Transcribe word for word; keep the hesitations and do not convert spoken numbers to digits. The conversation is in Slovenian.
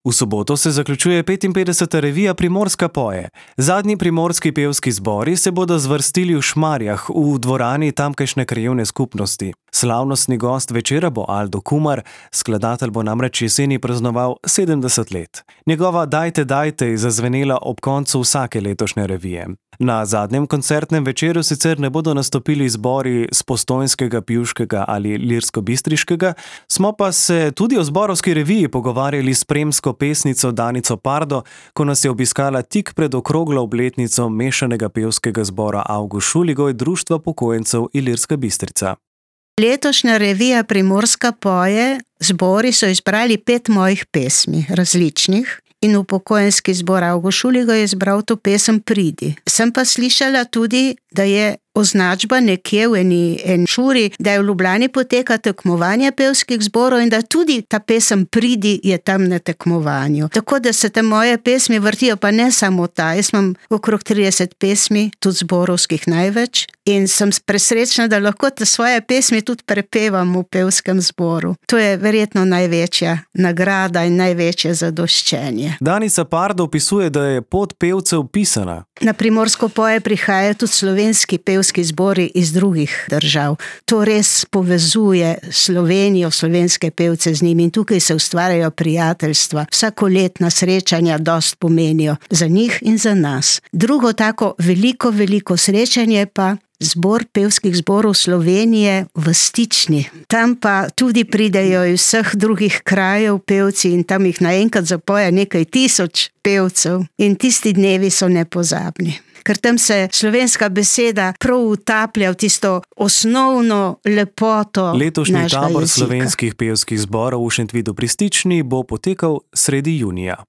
V soboto se zaključuje petinpetdeseta revija Primorska poje. Zadnji primorski pevski zbori se bodo zvrstili v Šmarjah, v dvorani tamkajšnje krajevne skupnosti. Slavnostni gost večera bo Aldo Kumar, skladatelj bo namreč jeseni praznoval sedemdeset let. Njegova Dajte, dajte je zazvenela ob koncu vsake letošnje revije. Na zadnjem koncertnem večeru sicer ne bodo nastopili zbori s postojnskega, pivškega ali lirsko-bistriškega, smo pa se tudi o zborovski reviji pogovarjali s spremsko pesnico Danico Pardo, ko nas je obiskala tik pred okroglo obletnico mešanega pevskega zbora Avgust Šuligoj Društva pokojencev Ilirska Bistrica. Letošnja revija Primorska poje, zbori so izbrali pet mojih pesmi, različnih, in upokojenski zbor Avgust Šuligoj je izbral to pesem Pridi. Sem pa slišala tudi, da je označba nekje v eni, eni šuri, da je v Ljubljani poteka tekmovanje pevskih zborov in da tudi ta pesem Pridi je tam na tekmovanju. Tako da se te moje pesmi vrtijo, pa ne samo ta. Jaz imam okrog trideset pesmi, tudi zborovskih največ, in sem presrečna, da lahko te svoje pesmi tudi prepevam v pevskem zboru. To je verjetno največja nagrada in največje zadoščenje. Danica Pardo opisuje, da je pot pevcev pisana. Na Primorsko poje prihajajo tudi slovenski pevski zbori iz drugih držav. To res povezuje Slovenijo, slovenske pevce z njimi in tukaj se ustvarjajo prijateljstva. Vsakoletna srečanja dost pomenijo za njih in za nas. Drugo tako veliko, veliko srečanje pa zbor pevskih zborov Slovenije v Stični. Tam pa tudi pridejo iz vseh drugih krajev pevci in tam jih naenkrat zapoje nekaj tisoč pevcev in tisti dnevi so nepozabni. Ker tam se slovenska beseda prav utaplja v tisto osnovno lepoto Letošnji našega tabor jezika. slovenskih pevskih zborov v Šentvidu pri Stični bo potekal sredi junija.